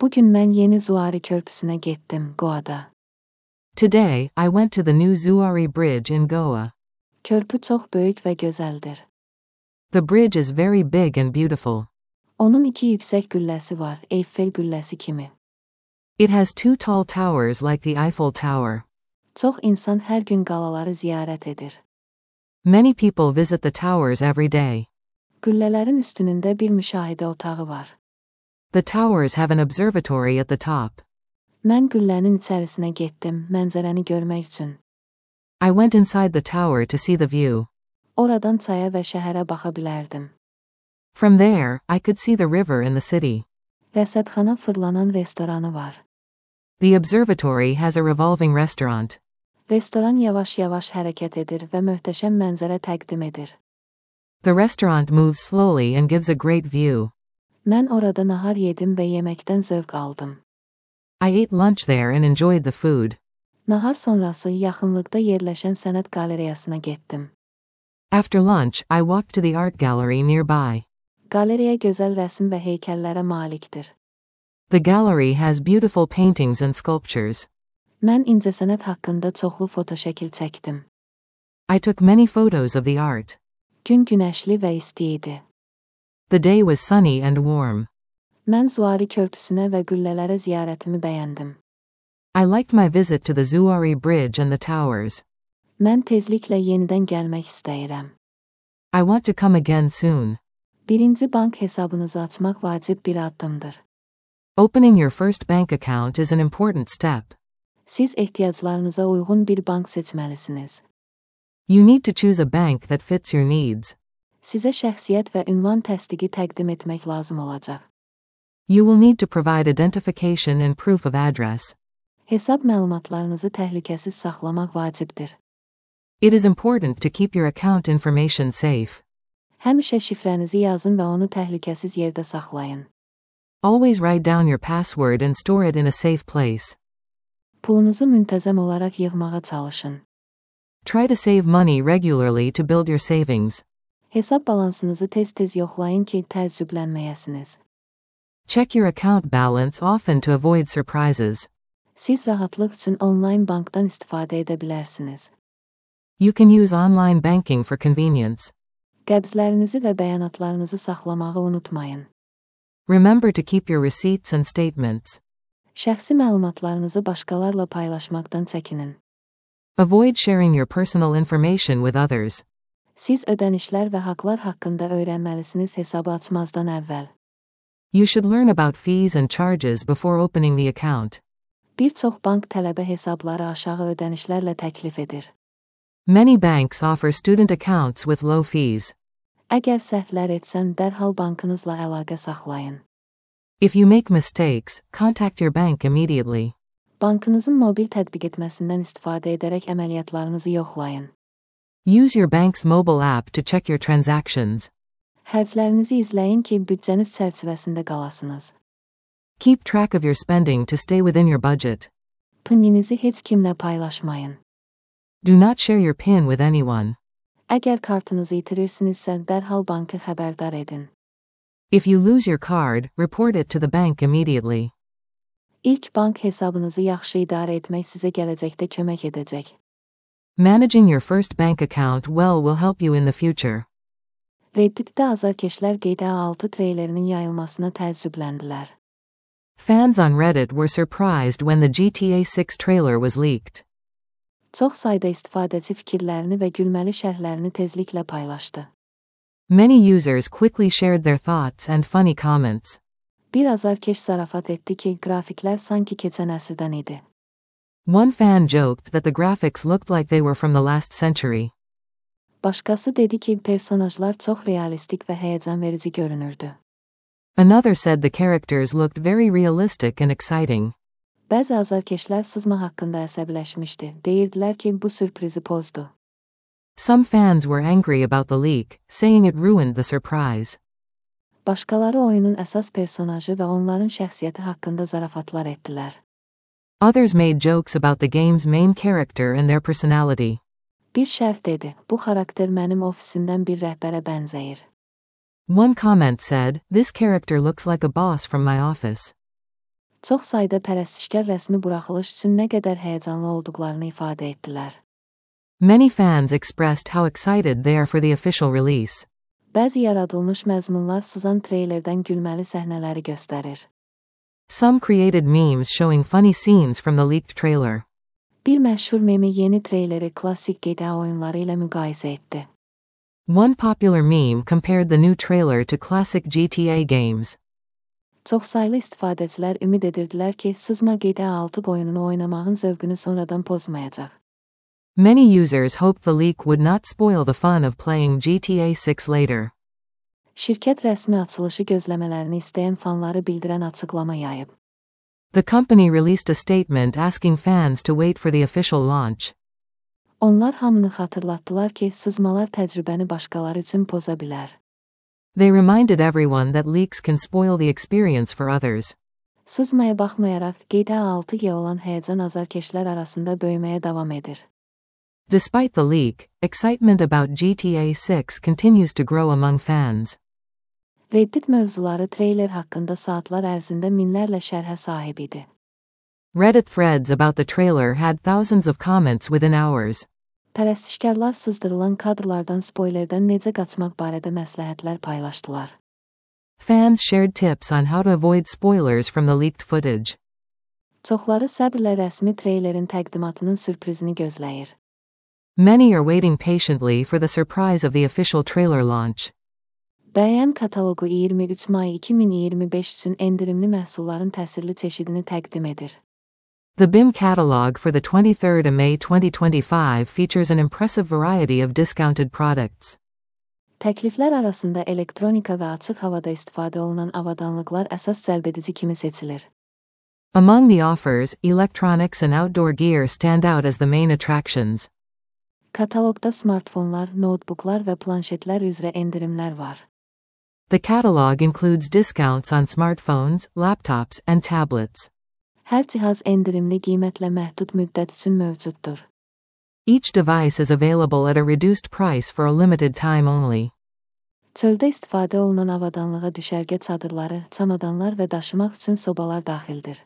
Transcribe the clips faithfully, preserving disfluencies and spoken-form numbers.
Bugün mən yeni Zuari körpüsünə getdim, Goa'da. Today, I went to the new Zuari Bridge in Goa. Körpü çox böyük və gözəldir. The bridge is very big and beautiful. Onun iki yüksək gülləsi var, Eyfel gülləsi kimi. It has two tall towers like the Eiffel Tower. Çox insan hər gün qalaları ziyarət edir. Many people visit the towers every day. Güllələrin üstünündə bir müşahidə otağı var. The towers have an observatory at the top. Mən güllənin içərisinə getdim, mənzərəni görmək üçün. I went inside the tower to see the view. Oradan çaya və şəhərə baxa bilərdim. From there, I could see the river and the city. Rəsədxana fırlanan restoranı var. The observatory has a revolving restaurant. Restoran yavaş-yavaş hərəkət edir və möhtəşəm mənzərə təqdim edir. The restaurant moves slowly and gives a great view. Mən orada nahar yedim və yeməkdən zövq aldım. I ate lunch there and enjoyed the food. Nahar sonrası yaxınlıqda yerləşən sənət qalereyasına getdim. After lunch, I walked to the art gallery nearby. Qaleriya gözəl rəsm və heykəllərə malikdir. The gallery has beautiful paintings and sculptures. Mən incəsənət haqqında çoxlu fotoşəkil çəkdim. I took many photos of the art. Gün günəşli və isti idi. The day was sunny and warm. Mən Zuari körpüsünə və güllələrə ziyarətimi bəyəndim. I liked my visit to the Zuari Bridge and the towers. Mən tezliklə yenidən gəlmək istəyirəm. I want to come again soon. Birinci bank hesabınızı açmaq vacib bir addımdır. Opening your first bank account is an important step. Siz ehtiyaclarınıza uyğun bir bank seçməlisiniz. You need to choose a bank that fits your needs. Sizə şəxsiyyət və ünvan təsdiqi təqdim etmək lazım olacaq. You will need to provide identification and proof of address. Hesab məlumatlarınızı təhlükəsiz saxlamaq vacibdir. It is important to keep your account information safe. Həmişə şifrənizi yazın və onu təhlükəsiz yerdə saxlayın. Always write down your password and store it in a safe place. Pulunuzu müntəzəm olaraq yığmağa çalışın. Try to save money regularly to build your savings. Hesab balansınızı tez-tez yoxlayın ki, təəccüblənməyəsiniz. Check your account balance often to avoid surprises. Siz rahatlıq üçün onlayn bankdan istifadə edə bilərsiniz. You can use online banking for convenience. Qəbzlərinizi və bəyanatlarınızı saxlamağı unutmayın. Remember to keep your receipts and statements. Şəxsi məlumatlarınızı başqalarla paylaşmaqdan çəkinin. Avoid sharing your personal information with others. Siz ödənişlər və haqlar haqqında öyrənməlisiniz hesabı açmazdan əvvəl. You should learn about fees and charges before opening the account. Bir çox bank tələbə hesabları aşağı ödənişlərlə təklif edir. Many banks offer student accounts with low fees. Əgər səhvlər etsən, dərhal bankınızla əlaqə saxlayın. If you make mistakes, contact your bank immediately. Bankınızın mobil tətbiq etməsindən istifadə edərək əməliyyatlarınızı yoxlayın. Use your bank's mobile app to check your transactions. Xərclərinizi izləyin ki, büdcəniz çərçivəsində qalasınız. Keep track of your spending to stay within your budget. Pininizi heç kimlə paylaşmayın. Do not share your PIN with anyone. Əgər kartınızı itirirsinizsə, dərhal bankı xəbərdar edin. If you lose your card, report it to the bank immediately. İlk bank hesabınızı yaxşı idarə etmək sizə gələcəkdə kömək edəcək. Managing your first bank account well will help you in the future. Redditdə azarkeşlər G T A altı treylerinin yayılmasına təəccübləndilər. Fans on Reddit were surprised when the G T A six trailer was leaked. Çox sayda istifadəçi fikirlərini və gülməli şərhlərini tezliklə paylaşdı. Many users quickly shared their thoughts and funny comments. Bir azarkeş zarafat etdi ki, qrafiklər sanki keçən əsrdən idi. One fan joked that the graphics looked like they were from the last century. Başqası dedi ki, personajlar çox realistik və həyəcanverici görünürdü. Another said the characters looked very realistic and exciting. Bəzi azarkeşlər sızma haqqında əsəbləşmişdi. Deyirdilər ki, bu sürprizi pozdu. Some fans were angry about the leak, saying it ruined the surprise. Başqaları oyunun əsas personajı və onların şəxsiyyəti haqqında zarafatlar etdilər. Others made jokes about the game's main character and their personality. Bir şərh dedi, bu xarakter mənim ofisimdən bir rəhbərə bənzəyir. One comment said, "This character looks like a boss from my office." Çox sayda pərəstişkar rəsmi buraxılış üçün nə qədər həyəcanlı olduqlarını ifadə etdilər. Many fans expressed how excited they are for the official release. Bəzi yaradılmış məzmunlar sızan treylerdən gülməli səhnələri göstərir. Some created memes showing funny scenes from the leaked trailer. Bir məşhur memi yeni treyleri klassik G T A oyunları ilə müqayisə etdi. One popular meme compared the new trailer to classic G T A games. Çoxsaylı istifadəçilər ümid edirdilər ki, sızma G T A altı oyununu oynamağın zövqünü sonradan pozmayacaq. Many users hoped the leak would not spoil the fun of playing G T A six later. Şirkət rəsmi açılışı gözləmələrini istəyən fanları bildirən açıqlama yayıb. The company released a statement asking fans to wait for the official launch. Onlar hamını xatırlatdılar ki, sızmalar təcrübəni başqaları üçün poza bilər. They reminded everyone that leaks can spoil the experience for others. Sızmaya baxmayaraq, G T A altıya olan həyəcan azarkeşlər arasında böyüməyə davam edir. Despite the leak, excitement about G T A six continues to grow among fans. Reddit mövzuları treyler haqqında saatlar ərzində minlərlə şərhə sahib idi. Reddit threads about the trailer had thousands of comments within hours. Pərəstişkarlar sızdırılan kadrlardan spoilerdən necə qaçmaq barədə məsləhətlər paylaşdılar. Fans shared tips on how to avoid spoilers from the leaked footage. Çoxları səbrlə rəsmi treylerin təqdimatının sürprizini gözləyir. Many are waiting patiently for the surprise of the official trailer launch. B M kataloqu iyirmi üç may iki min iyirmi beş üçün endirimli məhsulların təsirli çeşidini təqdim edir. The B I M catalog for the twenty-third of May twenty twenty-five features an impressive variety of discounted products. Təkliflər arasında elektronika və açıq havada istifadə olunan avadanlıqlar əsas cəlbedici kimi seçilir. Among the offers, electronics and outdoor gear stand out as the main attractions. Kataloqda smartfonlar, notebooklar və planşetlər üzrə endirimlər var. The catalog includes discounts on smartphones, laptops, and tablets. Hər cihaz endirimli qiymətlə məhdud müddət üçün mövcuddur. Each device is available at a reduced price for a limited time only. Çöldə istifadə olunan avadanlığa düşərgə çadırları, çamadanlar və daşımaq üçün sobalar daxildir.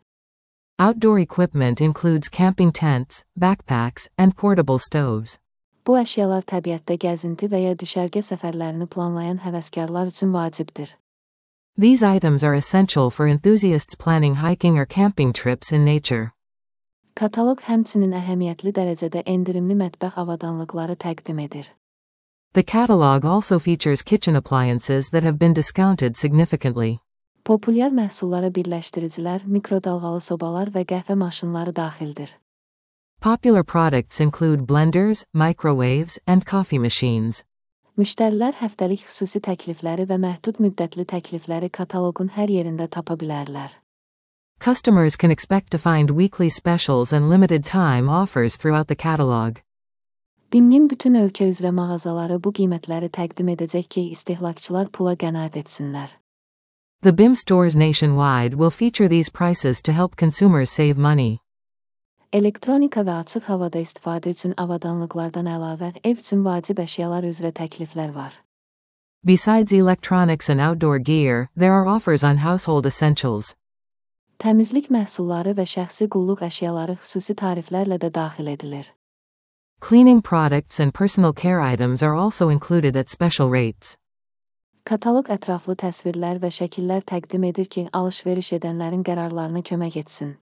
Outdoor equipment includes camping tents, backpacks, and portable stoves. Bu əşyalar təbiətdə gəzinti və ya düşərgə səfərlərini planlayan həvəskarlar üçün vacibdir. These items are essential for enthusiasts planning hiking or camping trips in nature. Kataloq həmçinin əhəmiyyətli dərəcədə endirimli mətbəx avadanlıqları təqdim edir. The catalog also features kitchen appliances that have been discounted significantly. Populyar məhsullara birləşdiricilər, mikrodalğalı sobalar və qəhvə maşınları daxildir. Popular products include blenders, microwaves, and coffee machines. Müştərilər həftəlik xüsusi təklifləri və məhdud müddətli təklifləri kataloqun hər yerində tapa bilərlər. Customers can expect to find weekly specials and limited time offers throughout the catalog. B I M-nin bütün ölkə üzrə mağazaları bu qiymətləri təqdim edəcək ki, istehlakçılar pula qənaət etsinlər. The B I M stores nationwide will feature these prices to help consumers save money. Elektronika və açıq havada istifadə üçün avadanlıqlardan əlavə ev üçün vacib əşyalar üzrə təkliflər var. Besides electronics and outdoor gear, there are offers on household essentials. Təmizlik məhsulları və şəxsi qulluq əşyaları xüsusi tariflərlə də daxil edilir. Cleaning products and personal care items are also included at special rates. Kataloq ətraflı təsvirlər və şəkillər təqdim edir ki, alış-veriş edənlərin qərarlarına kömək etsin.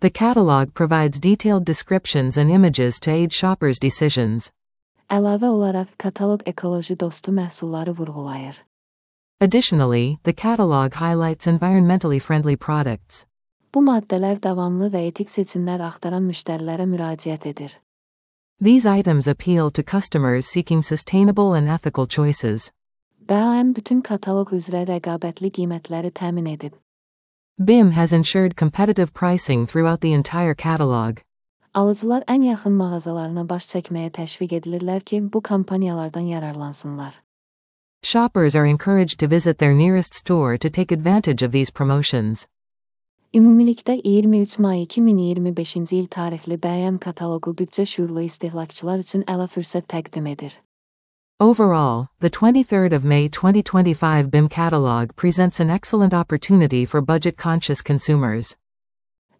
The catalog provides detailed descriptions and images to aid shoppers' decisions. Əlavə olaraq, kataloq ekoloji dostu məhsulları vurğulayır. Additionally, the catalog highlights environmentally friendly products. Bu maddələr davamlı və etik seçimlər axtaran müştərilərə müraciət edir. These items appeal to customers seeking sustainable and ethical choices. B M bütün kataloq üzrə rəqabətli qiymətləri təmin edib. B I M has ensured competitive pricing throughout the entire catalog. Alıcılar ən yaxın mağazalarına baş çəkməyə təşviq edilirlər ki, bu kampaniyalardan yararlansınlar. Shoppers are encouraged to visit their nearest store to take advantage of these promotions. Ümumilikdə iyirmi üç may iki min iyirmi beşinci il tarixli B M kataloqu büdcə şüurlu istehlakçılar üçün əla fürsət təqdim edir. Overall, the twenty-third of May twenty twenty-five B I M catalog presents an excellent opportunity for budget-conscious consumers.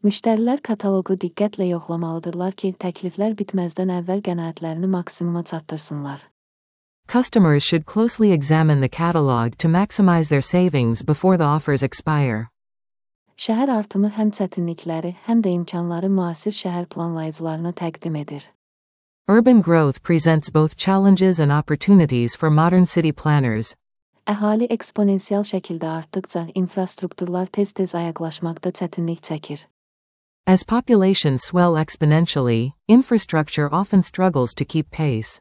Müştərilər kataloqu diqqətlə yoxlamalıdırlar ki, təkliflər bitməzdən əvvəl qənaətlərini maksimuma çatdırsınlar. Customers should closely examine the catalog to maximize their savings before the offers expire. Şəhər artımı həm çətinlikləri, həm də imkanları müasir şəhər planlayıcılarına təqdim edir. Urban growth presents both challenges and opportunities for modern city planners. Əhali eksponensial şəkildə artdıqca infrastrukturlar tez-tez ayaqlaşmaqda çətinlik çəkir. As populations swell exponentially, infrastructure often struggles to keep pace.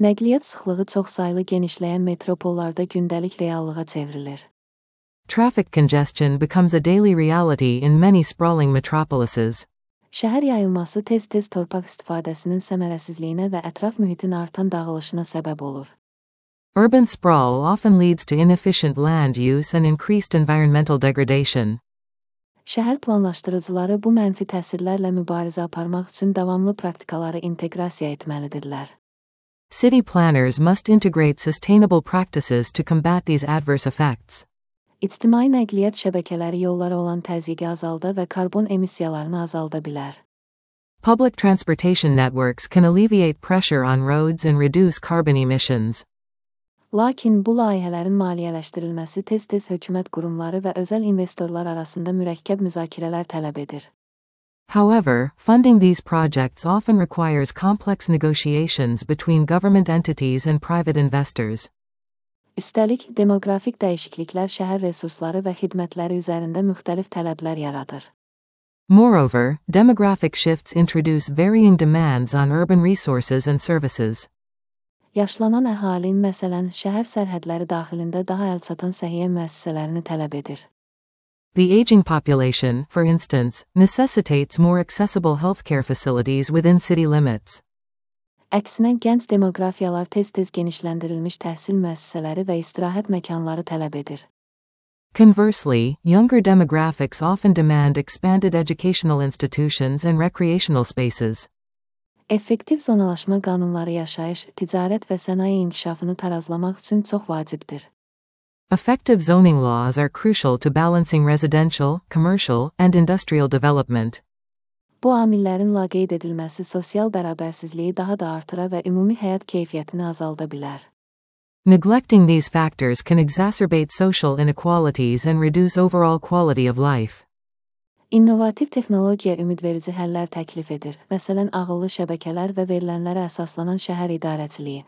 Nəqliyyat sıxlığı çoxsaylı genişləyən metropollarda gündəlik reallığa çevrilir. Traffic congestion becomes a daily reality in many sprawling metropolises. Şəhər yayılması tez-tez torpaq istifadəsinin səmərəsizliyinə və ətraf mühitin artan dağılışına səbəb olur. Urban sprawl often leads to inefficient land use and increased environmental degradation. Şəhər planlaşdırıcıları bu mənfi təsirlərlə mübarizə aparmaq üçün davamlı praktikaları inteqrasiya etməlidirlər. City planners must integrate sustainable practices to combat these adverse effects. İctimai nəqliyyat şəbəkələri yollara olan təzyiqi azalda və karbon emissiyalarını azalda bilər. Public transportation networks can alleviate pressure on roads and reduce carbon emissions. Lakin bu layihələrin maliyyələşdirilməsi tez-tez hökumət qurumları və özəl investorlar arasında mürəkkəb müzakirələr tələb edir. However, funding these projects often requires complex negotiations between government entities and private investors. Üstəlik, demoqrafik dəyişikliklər şəhər resursları və xidmətləri üzərində müxtəlif tələblər yaradır. Moreover, demographic shifts introduce varying demands on urban resources and services. Yaşlanan əhali, məsələn, şəhər sərhədləri daxilində daha əlçatan səhiyyə müəssisələrini tələb edir. The aging population, for instance, necessitates more accessible healthcare facilities within city limits. Əksinə, gənc demoqrafiyalar tez-tez genişləndirilmiş təhsil müəssisələri və istirahət məkanları tələb edir. Conversely, younger demographics often demand expanded educational institutions and recreational spaces. Effektiv zonalaşma qanunları yaşayış, ticarət və sənaye inkişafını tarazlamaq üçün çox vacibdir. Effective zoning laws are crucial to balancing residential, commercial, and industrial development. Bu amillərin laqeyd edilməsi sosial bərabərsizliyi daha da artıra və ümumi həyat keyfiyyətini azalda bilər. Neglecting these factors can exacerbate social inequalities and reduce overall quality of life. İnnovativ texnologiya ümidverici həllər təklif edir, məsələn, ağıllı şəbəkələr və verilənlərə əsaslanan şəhər idarəçiliyi.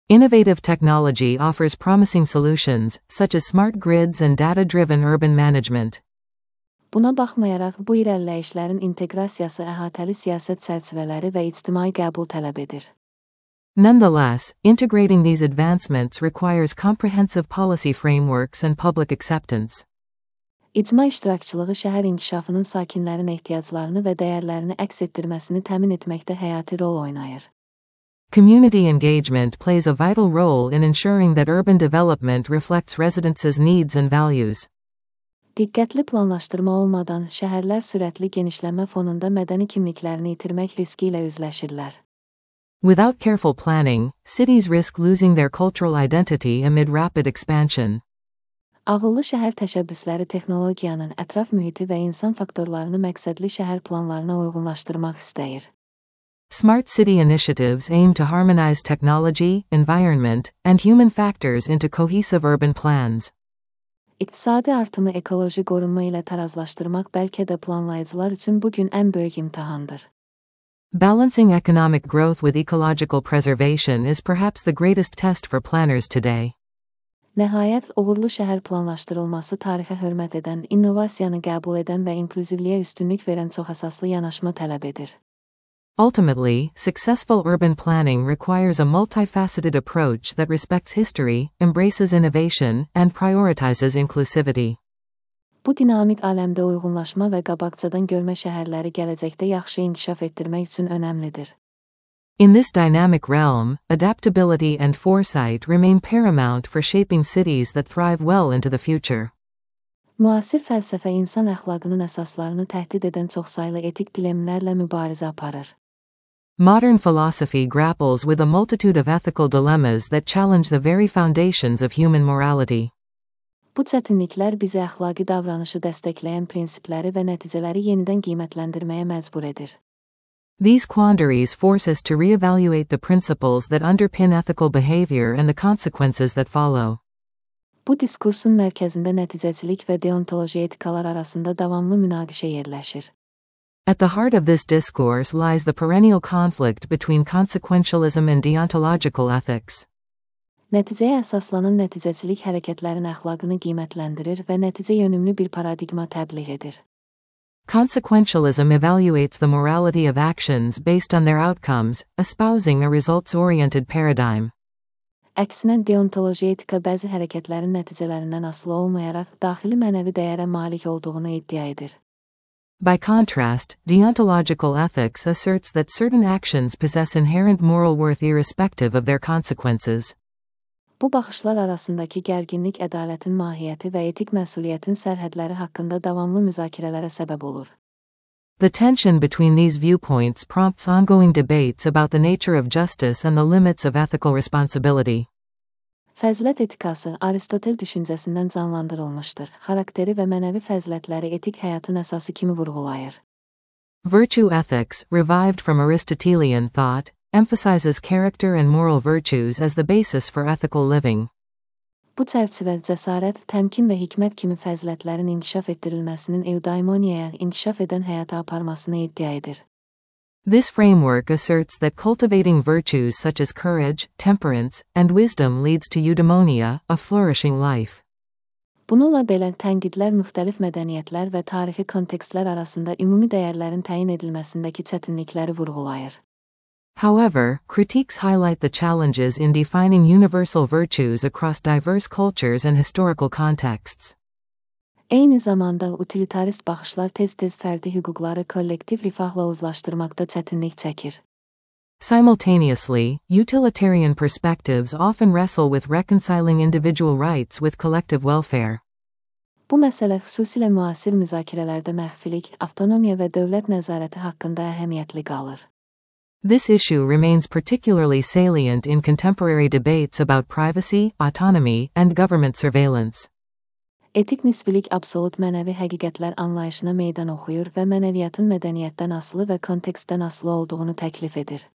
Innovative technology offers promising solutions, such as smart grids and data-driven urban management. Buna baxmayaraq, bu irəliləyişlərin inteqrasiyası əhatəli siyasət çərçivələri və ictimai qəbul tələb edir. Nonetheless, integrating these advancements requires comprehensive policy frameworks and public acceptance. İcma iştirakçılığı şəhər inkişafının sakinlərin ehtiyaclarını və dəyərlərini əks etdirməsini təmin etməkdə həyati rol oynayır. Community engagement plays a vital role in ensuring that urban development reflects residents' needs and values. Diqqətli planlaşdırma olmadan şəhərlər sürətli genişlənmə fonunda mədəni kimliklərini itirmək riski ilə üzləşirlər. Without careful planning, cities risk losing their cultural identity amid rapid expansion. Ağıllı şəhər təşəbbüsləri texnologiyanın ətraf mühiti və insan faktorlarını məqsədli şəhər planlarına uyğunlaşdırmaq istəyir. Smart city initiatives aim to harmonize technology, environment, and human factors into cohesive urban plans. İqtisadi artımı ekoloji qorunma ilə tarazlaşdırmaq bəlkə də planlayıcılar üçün bugün ən böyük imtahandır. Balancing economic growth with ecological preservation is perhaps the greatest test for planners today. Nəhayət, uğurlu şəhər planlaşdırılması tarixə hörmət edən, innovasiyanı qəbul edən və inklüzivliyə üstünlük verən çoxəsaslı yanaşma tələb edir. Ultimately, successful urban planning requires a multifaceted approach that respects history, embraces innovation, and prioritizes inclusivity. Bu dinamik aləmdə uyğunlaşma və qabaqcadan görmə şəhərləri gələcəkdə yaxşı inkişaf etdirmək üçün önəmlidir. In this dynamic realm, adaptability and foresight remain paramount for shaping cities that thrive well into the future. Müasir fəlsəfə insan əxlaqının əsaslarını təhdid edən çoxsaylı etik dilemlərlə mübarizə aparır. Modern philosophy grapples with a multitude of ethical dilemmas that challenge the very foundations of human morality. Bu Bu çətinliklər bizi əxlaqi davranışı dəstəkləyən prinsipləri və nəticələri yenidən qiymətləndirməyə məcbur edir. These quandaries force us to reevaluate the principles that underpin ethical behavior and the consequences that follow. Bu diskursun mərkəzində nəticəçilik və deontoloji etikalar arasında davamlı münaqişə yerləşir. At the heart of this discourse lies the perennial conflict between consequentialism and deontological ethics. Nəticəyə əsaslanan nəticəçilik hərəkətlərin əxlaqını qiymətləndirir və nəticə yönümlü bir paradigma təbliğ edir. Consequentialism evaluates the morality of actions based on their outcomes, espousing a results-oriented paradigm. Əksinə, deontoloji etika bəzi hərəkətlərin nəticələrindən asılı olmayaraq daxili mənəvi dəyərə malik olduğunu iddia edir. By contrast, deontological ethics asserts that certain actions possess inherent moral worth irrespective of their consequences. Bu baxışlar arasındakı gərginlik ədalətin mahiyyəti və etik məsuliyyətin sərhədləri haqqında davamlı müzakirələrə səbəb olur. The tension between these viewpoints prompts ongoing debates about the nature of justice and the limits of ethical responsibility. Fəzilət etikası Aristotel düşüncəsindən canlandırılmışdır. Xarakteri və mənəvi fəzilətləri etik həyatın əsası kimi vurğulayır. Virtue ethics, revived from Aristotelian thought, emphasizes character and moral virtues as the basis for ethical living. Bu çərçivə cəsarət, təmkin və hikmət kimi fəzilətlərin inkişaf etdirilməsinin eudaimoniyaya inkişaf edən həyata aparmasını iddia edir. This framework asserts that cultivating virtues such as courage, temperance, and wisdom leads to eudaimonia, a flourishing life. Bununla belə tənqidlər müxtəlif mədəniyyətlər və tarixi kontekstlər arasında ümumi dəyərlərin təyin edilməsindəki çətinlikləri vurğulayır. However, critiques highlight the challenges in defining universal virtues across diverse cultures and historical contexts. Eyni zamanda utilitarist baxışlar tez-tez fərdi hüquqları kollektiv rifahla uzlaşdırmaqda çətinlik çəkir. Simultaneously, utilitarian perspectives often wrestle with reconciling individual rights with collective welfare. Bu məsələ xüsusilə müasir müzakirələrdə məxfilik, avtonomiya və dövlət nəzarəti haqqında əhəmiyyətli qalır. This issue remains particularly salient in contemporary debates about privacy, autonomy, and government surveillance. Etik nisbilik absolut mənəvi həqiqətlər anlayışına meydan oxuyur və mənəviyyatın mədəniyyətdən asılı və kontekstdən asılı olduğunu təklif edir.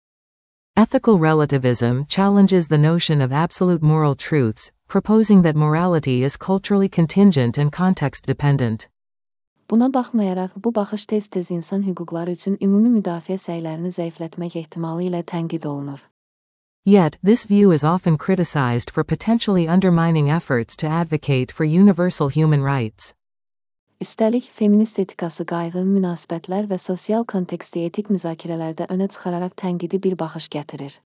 Ethical relativism challenges the notion of absolute moral truths, proposing that morality is culturally contingent and context-dependent. Buna baxmayaraq, bu baxış tez-tez insan hüquqları üçün ümumi müdafiə səylərini zəiflətmək ehtimalı ilə tənqid olunur. Yet, this view is often criticized for potentially undermining efforts to advocate for universal human rights. Üstəlik, feminist etikası qayğı, münasibətlər və sosial konteksti etik müzakirələrdə önə çıxararaq tənqidi bir baxış gətirir.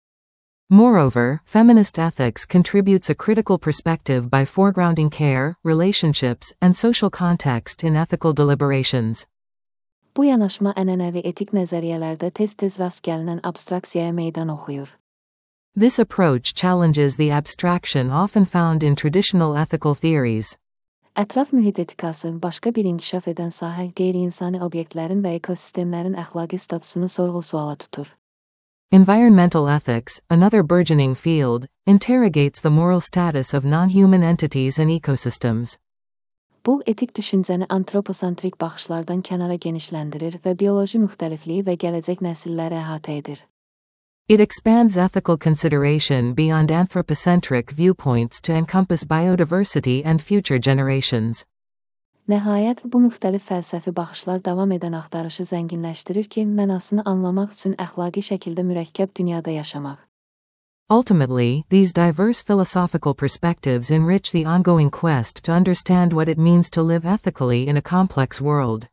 Moreover, feminist ethics contributes a critical perspective by foregrounding care, relationships, and social context in ethical deliberations. Bu yanaşma ənənəvi etik nəzəriyyələrdə tez-tez rast gəlinən abstraksiyaya meydan oxuyur. This approach challenges the abstraction often found in traditional ethical theories. Ətraf mühit etikası başqa bir inkişaf edən sahə qeyri-insani obyektlərin və ekosistemlərin əxlaqi statusunu sorğu-suala tutur. Environmental ethics, another burgeoning field, interrogates the moral status of non-human entities and ecosystems. Bu, etik düşüncəni antroposentrik baxışlardan kənara genişləndirir və bioloji müxtəlifliyi və gələcək nəsilləri əhatə edir. It expands ethical consideration beyond anthropocentric viewpoints to encompass biodiversity and future generations. Nəhayət, bu müxtəlif fəlsəfi baxışlar davam edən axtarışı zənginləşdirir ki, mənasını anlamaq üçün əxlaqi şəkildə mürəkkəb dünyada yaşamaq. Ultimately, these diverse philosophical perspectives enrich the ongoing quest to understand what it means to live ethically in a complex world.